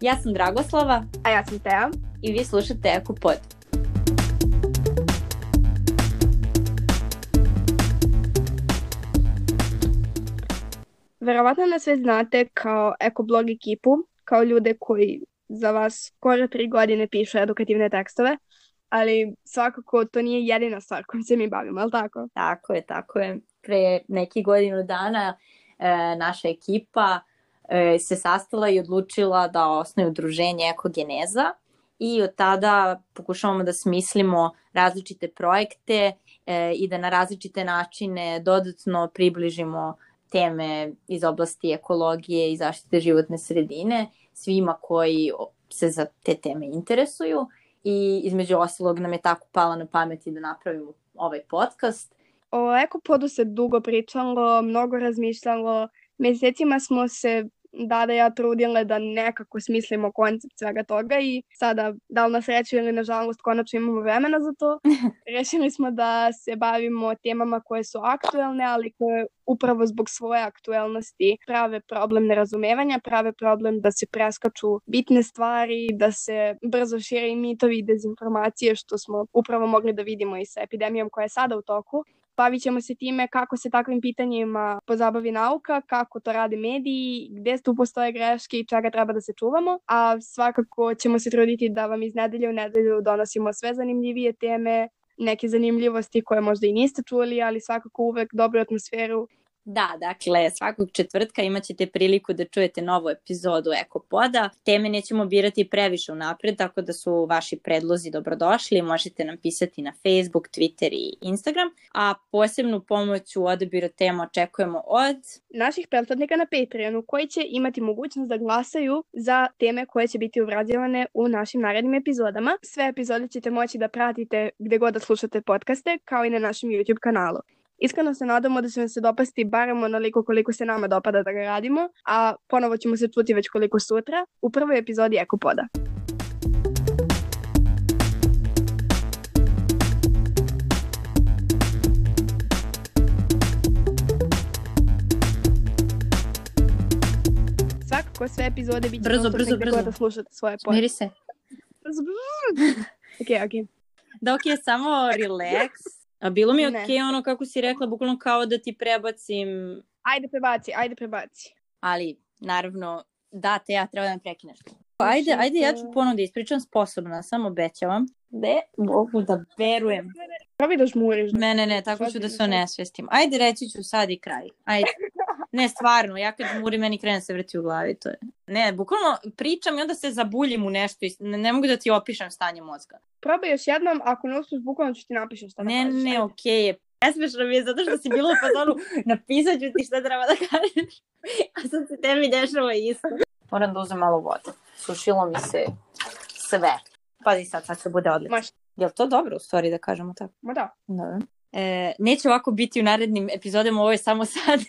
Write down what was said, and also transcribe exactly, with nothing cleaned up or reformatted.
Ja sam Dragoslava. A ja sam Teja. I vi slušate Eko Pod. Verovatno nas sve znate kao ekoblog ekipu, kao ljude koji za vas skoro tri godine pišu edukativne tekstove, ali svakako to nije jedina stvar kojom se mi bavimo, ali tako? Tako je, tako je. Pre neki godinu dana e, naša ekipa e, se sastala i odlučila da osnuje udruženje Ekogeneza i od tada pokušavamo da smislimo različite projekte e, i da na različite načine dodatno približimo teme iz oblasti ekologije i zaštite životne sredine svima koji se za te teme interesuju i između ostalog nam je tako pala na pamet i da napravimo ovaj podcast. O Ekopodu se dugo pričalo, mnogo razmišljalo, mesecima smo se Dada i ja trudile da nekako smislimo koncept svega toga i sada, da li na sreću ili na žalost, konačno imamo vremena za to. Rešili smo da se bavimo temama koje su aktuelne, ali koje upravo zbog svoje aktuelnosti prave problem nerazumevanja, prave problem da se preskaču bitne stvari, da se brzo šire i mitovi i dezinformacije, što smo upravo mogli da vidimo i sa epidemijom koja je sada u toku. Bavit ćemo se time kako se takvim pitanjima pozabavi nauka, kako to rade mediji, gde tu postoje greške i čega treba da se čuvamo, a svakako ćemo se truditi da vam iz nedelje u nedelju donosimo sve zanimljivije teme, neke zanimljivosti koje možda i niste čuli, ali svakako uvek dobru atmosferu. Da, dakle, svakog četvrtka imat ćete priliku da čujete novu epizodu Ekopoda. Teme nećemo birati previše unapred, tako da su vaši predlozi dobrodošli. Možete nam pisati na Facebook, Twitter i Instagram. A posebnu pomoć u odabiru tema očekujemo od naših pretplatnika na Patreonu, koji će imati mogućnost da glasaju za teme koje će biti obrađivane u našim narednim epizodama. Sve epizode ćete moći da pratite gde god da slušate podcaste, kao i na našem YouTube kanalu. Iskreno se nadamo da će vam se dopasti barem onoliko koliko se nama dopada da ga radimo, a ponovo ćemo se čuti već koliko sutra u prvoj epizodi Ekopoda. Svakako sve epizode bit će brzo, brzo, brzo. da slušate svoje pod. Smiri se. Brzo, brzo. Ok, ok. Da, ok, samo relax. A bilo mi je okej Ne. ono kako si rekla, bukvalno kao da ti prebacim, Ajde prebaci, ajde prebaci. ali naravno da te ja treba da me prekineš. Ajde, ajde ja ću ponovno da ispričam, sposobna, samo obećavam. Ne, mogu da verujem. Probi da žmuriš. Ne, ne, ne, tako ću da se onesvestim. Ajde, reći ću sad i kraj. Ajde. Ne, stvarno, ja kad žmurim, meni krene se vrti u glavi. To je. Ne, bukvalno pričam i onda se zabuljim u nešto i ne, ne mogu da ti opišem stanje mozga. Probaj još jednom, ako ne uspiješ, bukvalno ću ti napišem šta da Ne, kažeš. ne, Ajde. okej je. Nesmešno mi je zato što si bila u fazonu, napisat ću ti šta treba da kažeš, a sad se tebi dešava isto. Moram da uzem malo vode. Sušilo mi se sve. Pazi sad, sad se bude odlično. Maš. Je li to dobro u stvari da kažemo tako? Ma da. Dobro. E, neće ovako biti u narednim epizodama, ovo je samo sad